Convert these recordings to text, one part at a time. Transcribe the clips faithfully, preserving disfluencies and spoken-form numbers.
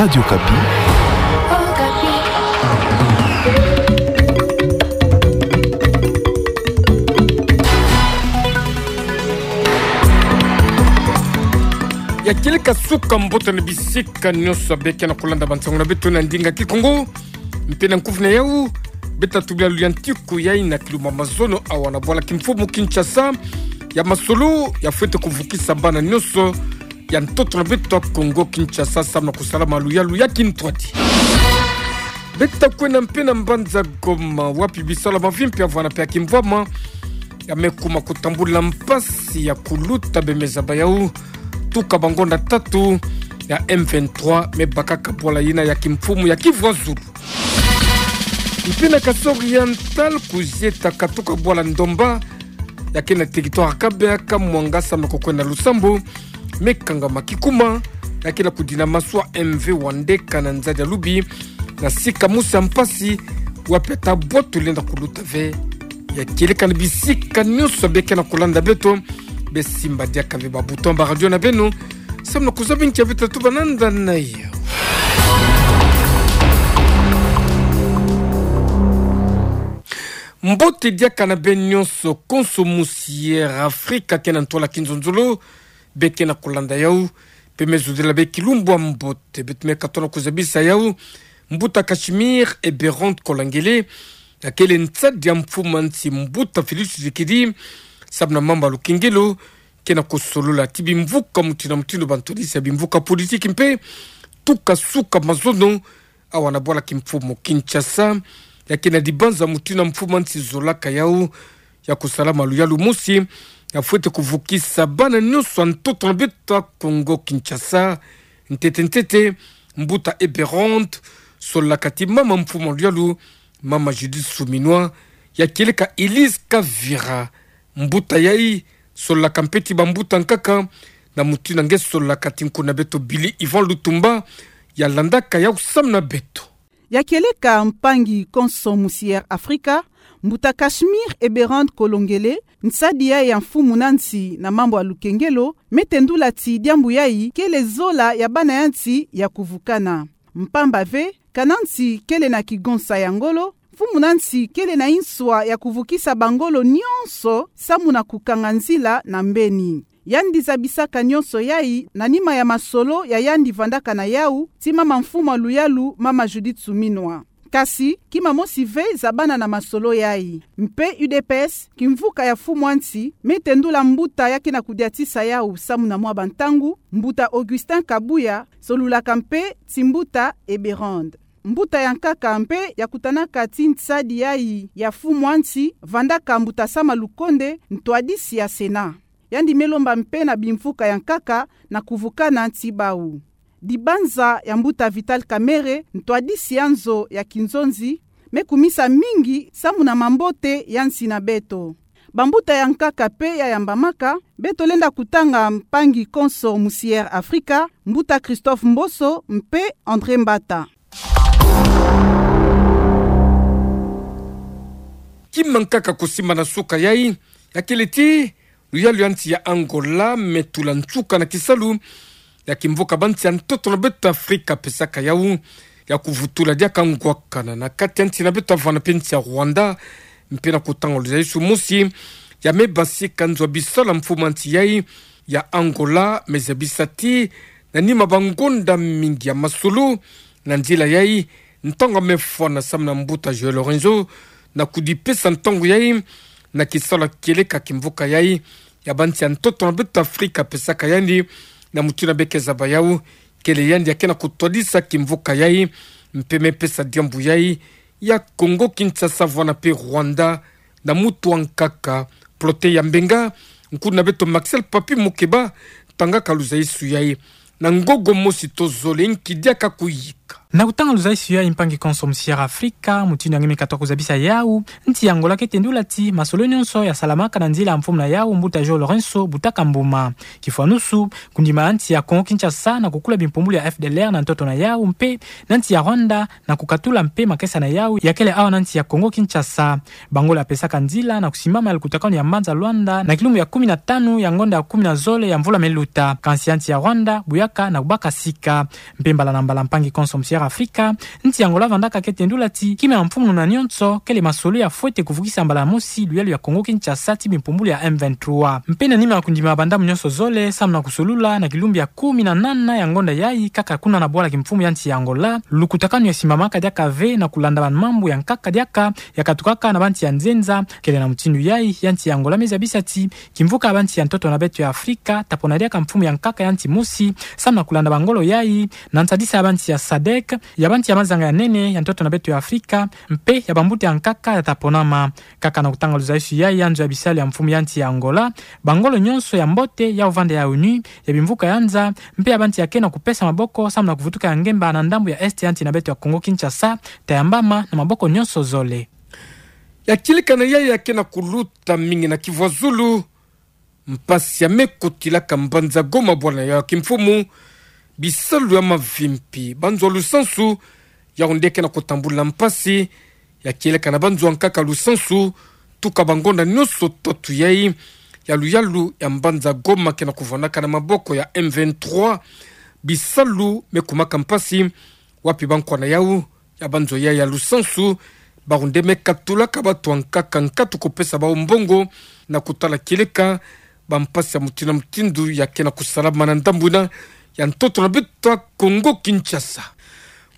Radio Okapi. Ya kieleka suka mbote na bisika nyonso beke na kolanda bansango na beto na ndinga Kikongo. Mpe na nkufi na yau, beta tubila luyantiku ya ina kiluma mazono awa na bwala kimfumu Kinshasa. Ya masolo, ya fwete kuvukisa bana nyonso ya ntoto na beto ya Kongo Kinshasa, samu na kusala maluyalu ya kintwadi. Beta kwenda mpe na mbanza Goma, wapi bisalu ya mavimpi ya vwanda mpe ya kimvwama ya me kuma kutambula mpasi ya kuluta bemeza bayau, tuka bangonda tatu ya M vingt-trois me bakaka bwala ina ya kimfumu ya Kivu ya Zulu. Mpe na Kasai Oriental, kuzieta katuka bwala Ndomba, ya ke na territoire ya Kabeya, ka mwanga samu na kukwenda Lusambo, me kangama kikuma, ya ke na kudina maswa M V Wande kana nzadi ya lubi, na sika mosi ya mpasi, wapi ata bwatu lenda kuluta ve. Ya kieleka na bisika nyonso beke na kolanda beto, besimba diaka ve ba bouton ba radio na beno, samu na kuzaba nki ya beta tuba nanda na yau. Mbote diaka na beno nyonso, konso musi Air Africa ke na ntwala kinzonzolo, beke na kolanda yau, mpe me zodila bê kilumbu ya mbote, beto me katono kuzabisa yau, mbuta Cachemire Eberhard Kolengele, ya kele nsadi ya mfumu ya nsi mbuta Félix Tshisekedi, samu na mambu ya lukengelo, ke na kusolola ti bimvuka mutindu na mutindu, bantwadisi ya bimvuka politiki mpe tuka suka mazono awa na bwala kimfumu Kinshasa, ya ke na dibanza mutindu ya mfumu ya nsi zolaka yau, ya kusala maluyalu mosi ya fwete kuvukisa bana nyonso ya ntoto na beto ya Kongo Kinshasa. Ntete ntete, mbuta Eberhard sololaka ti mama mfumu ya luyalu, mama Judith Suminwa, ya kieleka Elise Kavira, mbuta yai, sololaka mpe ti bambuta nkaka, na mutindu nge sololaka ti nkuna beto Billy Yvon Lutumba, ya landaka yau samu na beto. Ya kieleka mpangi konso musi Air Africa, mbuta Cachemire Eberhard Kolengele, nsadi yai ya mfumu na nsi na mambu ya lukengelo, me tendula ti diambu yai kele zola ya bana ya nsi ya kuvukana. Mpamba ve, kana nsi kele na kigonsa ya ngolo, mfumu na nsi kele na inswa ya kuvukisa bangolo nyonso samu na kukanga nzila na mbeni. Yandi zabisaka nyonso yai na nima ya masolo ya yandi vandaka na yau, ti mama mfumu ya luyalu, mama Judith Suminwa. Kasi, kima mosi ve zabana na masolo yai. Mpe U D P S, kimvuka ya mfumu ya nsi, me tendula mbuta ya ke na kudiatisa yau samu na mwa bantangu, mbuta Augustin Kabuya, sololaka mpe ti mbuta Eberhard. Mbuta ya nkaka mpe ya kutanaka ti nsadi yai ya mfumu ya nsi, vandaka mbuta Sama Lukonde, ntwadisi ya Sénat. Yandi me lomba mpe na bimvuka ya nkaka na kuvukana ti bau. Dibanza ya mbuta Vital Kamerhe, ntwadisi ya nzo ya kinzonzi, me kumisa mingi samu na mambote ya nsi na beto. Bambuta ya nkaka mpe ya yambamaka, beto lenda kutanga mpangi konso musi Air Africa, mbuta Christophe Mboso mpe André Mbata. Kima nkaka kusimbana suka yai, ya kele ti luyalu ya nsi ya Angola me tula nsuka na kisalu ya kimvuka bansi ya ntoto na beto Afrika pesaka yau ya kuvutula diaka ngwakana na kati ya nsi na beto vana mpe nsi ya Rwanda, mpe na kutanga luzayisu mosi ya me basika nzo ya bisalu ya mfumu ya nsi yai ya Angola, me zabisa ti na nima bangonda mingi ya masolo na nzila yai, ntangu ya me fwana samu na mbuta Joël Lorenzo na kudipesa ntangu yai na kisalu ya kieleka kimvuka yai ya bansi ya ntoto na beto Afrika pesaka yandi, na mutindu ya beke zaba yau, kele yandi ya ke na kutwadisa kimvuka yai, mpe me pesa diambu yai ya Congo Kinshasa vana mpe Rwanda, na mutu wa nkaka Protais Yambenga, nkuna beto Maxel Papy Mokeba tangaka luzayisu yai. Na ngogo mosi tozole nki diaka kuyika. Afrika. Na kutanga luzaisu yayi, mpangi konso musi Air Afrika, mutindu ya nge me katoka kuzabisa yawu, nsi ya Angola kete ndula ti masolo nyonso yasalamaka na nzila ya mfumu na yawu, Mbuta João Lourenço Butaka Mbuma. Kifwanusu, kundima ya nsi ya Congo Kinshasa na kukula bimpumbulu ya F D L R na ntoto na yawu, mpe na nsi ya Rwanda na kukatula mpe makesa na yawu yakele awa na nsi ya Congo Kinshasa. Bangolo yapesaka nzila na kusimbama ya lukutakanu ya mbanza Luanda na kilumbu ya kumi na tanu ya ngonda ya kumi na zole ya mvula me luta. Kansi ya nsi ya Rwanda buyaka na kubaka sika. Mpe mbala na mbala, mpangi konso musi Air Afrika, nsi ya Angola vandaka kete ndula ti kima ya mfumu na nyonso kele masolo ya fwete kuvukisa mbala mosi luyalu ya Congo Kinshasa ti bimpumbulu ya M vingt-trois. Mpe na nima ya kundima ya bandambu nyonso zole samu na kusolula, na kilumbu ya kumi na nana ya ngonda yayi, kaka kuna na bwala kimfumu ya nsi ya Angola, lukutakanu yasimbamaka diaka ve na kulanda bamambu ya nkaka diaka yakatukaka na bansi ya nzenza. Kele na mutindu yayi, ya nsi ya Angola me zabisa ti kimvuka ya bansi ya ntoto na beto ya Afrika tapona diaka mfumu ya nkaka ya nsi mosi samu na kulanda bangolo yayi, na nsadisa ya bansi ya sadec, ya bansi ya mazanga ya nene ya ntoto na beto ya Afrika, mpe ya bambuta ya nkaka yataponama. Kaka na kutanga luzaisu yayi ya nzo ya bisalu ya mfumu ya nsi ya Angola, bangolo nyonso ya mbote ya vanda ya ONU, ya bimvuka ya nza, mpe ya bansi yake na kupesa maboko samu na kuvutuka ya ngemba na ndambu ya est ya nsi na beto ya Congo Kinshasa, tayambama na maboko nyonso zole. Ya kieleka na yayi yake na kuluta mingi na kivwazulu, mpasi ya me kotilaka mbanza Goma bwala ya kimfumu, bisalu ya mavimpi, banzo ya lusansu, yawu nde ke na kutambula mpasi. Ya kieleka na banzo ya nkaka lusansu, tuka bangonda nyonso tatu yayi ya luyalu ya mbanza Goma ke na kuvwandaka na maboko ya M vingt-trois, bisalu me kumaka mpasi, wapi bankwa na yawu ya banzo yayi ya lusansu, bawu nde me katulaka batu ya nkaka nkatu kupesa bawu mbongo, na kutala kieleka bampasi ya mutindu na mutindu yake na kusalama na ndambu yina ya ntoto na beto ya Congo Kinshasa.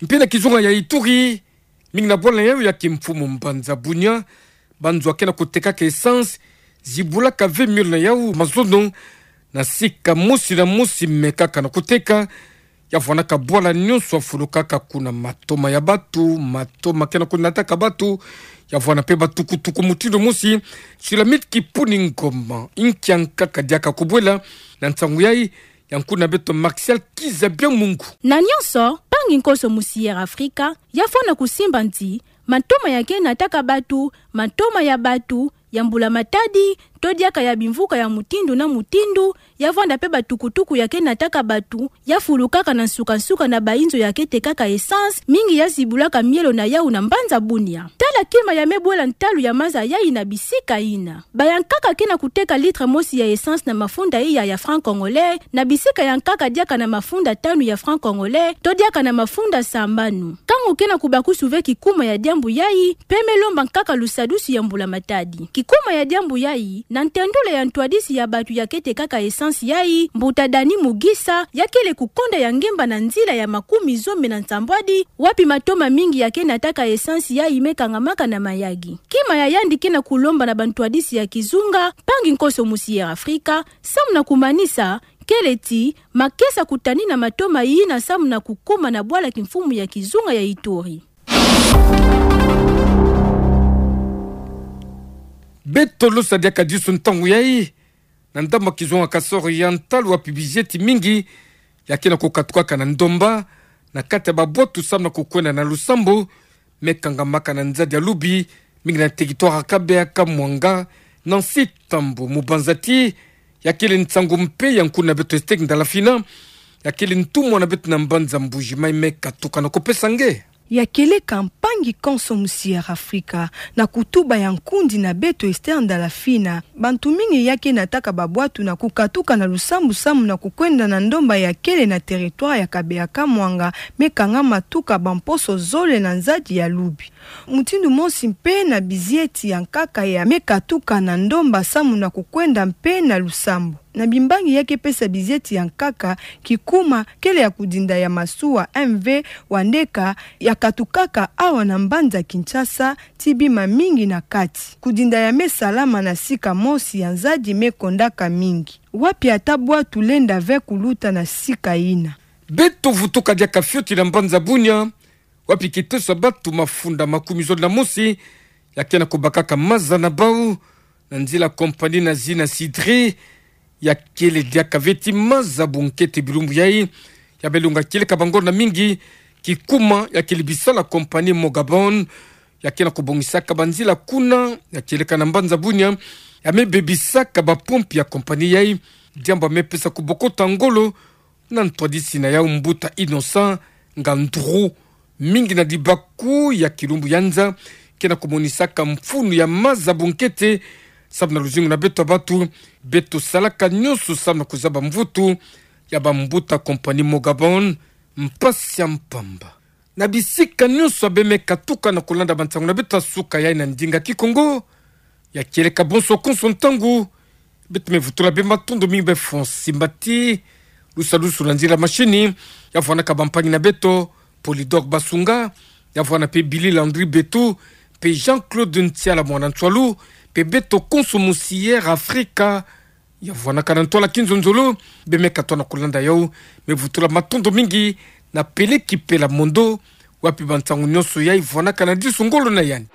Mpe na kizunga ya Ituri, mingi na bwala yawu ya kimfumu mbanza Bunia, banzo yake na kutekaka essence zibulaka ve miole na yawu mazono, na sika mosi na mosi me kaka na kuteka. Ya vwandaka bwala nyonso ya fulukaka kuna, matoma ya batu, matoma ke na kunataka batu. Ya vwanda mpe batukutuku mutindu mosi. Sulamit Kipuni Ngoma, inki ya nkaka diaka kubwela na nsangu yayi, ya nkuna beto Martial Kiza Bya Mungu. Na nyonso, mpangi konso musi Air Afrika, ya fwana kusimba nti matoma yake nataka batu, matoma ya batu, ya mbula matadi, to diaka ya bimvuka ya mutindu na mutindu, ya vwanda mpe batukutuku yake nataka batu, ya fulukaka na nsuka-nsuka na bainzo yake tekaka essence, mingi ya zibulaka mielo na yawu na mbanza Bunia. Tala kima ya me bwela ntalu ya maza yayi na bisika yina. Baya nkaka ke na kuteka litre mosi ya essence na mafunda iya ya franc congolais, na bisika ya nkaka diaka na mafunda tanu ya franc congolais, to diaka na mafunda sambanu. Nkangu ke na kubakusu ve kikuma ya diambu yayi, mpe me lomba nkaka lusadusu ya mbula matadi. Kikuma ya diambu yayi, na ntendula ya ntwadisi ya batu yake tekaka essence yayi, mbuta Dani Mugisa, ya kele kukonda ya ngemba na nzila ya makumi zome na nsambwadi, wapi matoma mingi yake nataka essence yayi me kangamaka na mayagi. Kima ya yandi ke na kulomba na bantwadisi ya kizunga, mpangi konso musi Air Afrika, samu na kumanisa, kele ti makesa kutanina matoma yina samu na kukuma na bwala kimfumu ya kizunga ya Ituri. Beto losa diaka disu ntangu yayi, na ndambu ya kizunga Kasai Oriental, wapi bizieti mingi yake na kukatukaka na ndomba, na kati ya babwatu samu na kukwenda na lusambu, me kangamaka na nzadi ya lubi, mingi na territoire ya Kabeya Kamwanga, Nancy Tambo. Mubanza ti ya kele nsangu mpe ya nkuna beto Esther Ndalafina, ya kele ntumwa na beto na mbanza Mbuji-Mayi, me katuka na kupesa nge. Ya kieleka, mpangi konso musi Air Afrika, na kutuba ya nkundi na beto Esther Ndalafina, bantu mingi yake nataka babwatu na kukatuka na lusambu samu na kukwenda na ndomba ya kele na territoire ya Kabeya Kamwanga, me kangama tuka bamposo zole na nzadi ya lubi. Mutindu mosi mpe na bizieti ya nkaka ya me katuka na ndomba samu na kukwenda mpe na lusambu. Na bimbangi yake pesa bizieti ya nkaka, kikuma kele ya kudinda ya masuwa M V Wandeka, ya katukaka awa na mbanza Kinshasa, ti bima mingi na kati. Kudinda ya me salama na sika mosi ya nzadi me kondaka mingi, wapi ata bwatu lenda ve kuluta na sika yina. Beto vutuka diaka fioti na mbanza Bunia, wapi kiteso ya batu mafunda makumi zole na mosi yake na kubakaka maza na bau, na nzila compagnie na zina Cidre, ya kele diaka ve ti maza bunkete bilumbu yayi, ya me longa kieleka bangonda mingi, Kikuma ya kele bisala compagnie Mogabon, ya ke na kobongisaka banzila kuna ya kieleka na mbanza bunia, ya me bebisaka bapompe ya compagnie yai, diambu ya me pesa kobokota ngolo na ntwadisi na yau. Mbuta Innocent Ngandru, mingi na dibaku ya kilumbu ya nza, ke na komonisaka mfunu ya maza bunkete, samu na luzingu na beto ya batu, beto salaka nyonso samu na kozaba mvutu ya bambuta compagnie Mogabon, mpasi ya mpamba. Na bisika nyonso ya bemeka tuka na kolanda bansangu na beto ya suka yai na ndinga Kikongo, ya kieleka bonso konso ntangu, beto me vutula bê matondo mingi bê Fonsi Mbati, Lusalusu na nzila mashini, ya vwanaka bampangi na beto, Polydor Basunga, ya vwana pe Billy Landry Betu, pe Jean-Claude Ntiala Mwana Nsualu, pe beto konso musi Air Africa, ya vwanaka na ntwala kinzonzolo. Bemeka tona kolanda yau, me vutula matondo mingi na Peleki Pela Mondo, wapi bansangu nyonso yai vwanaka na disu ngolo na yandi.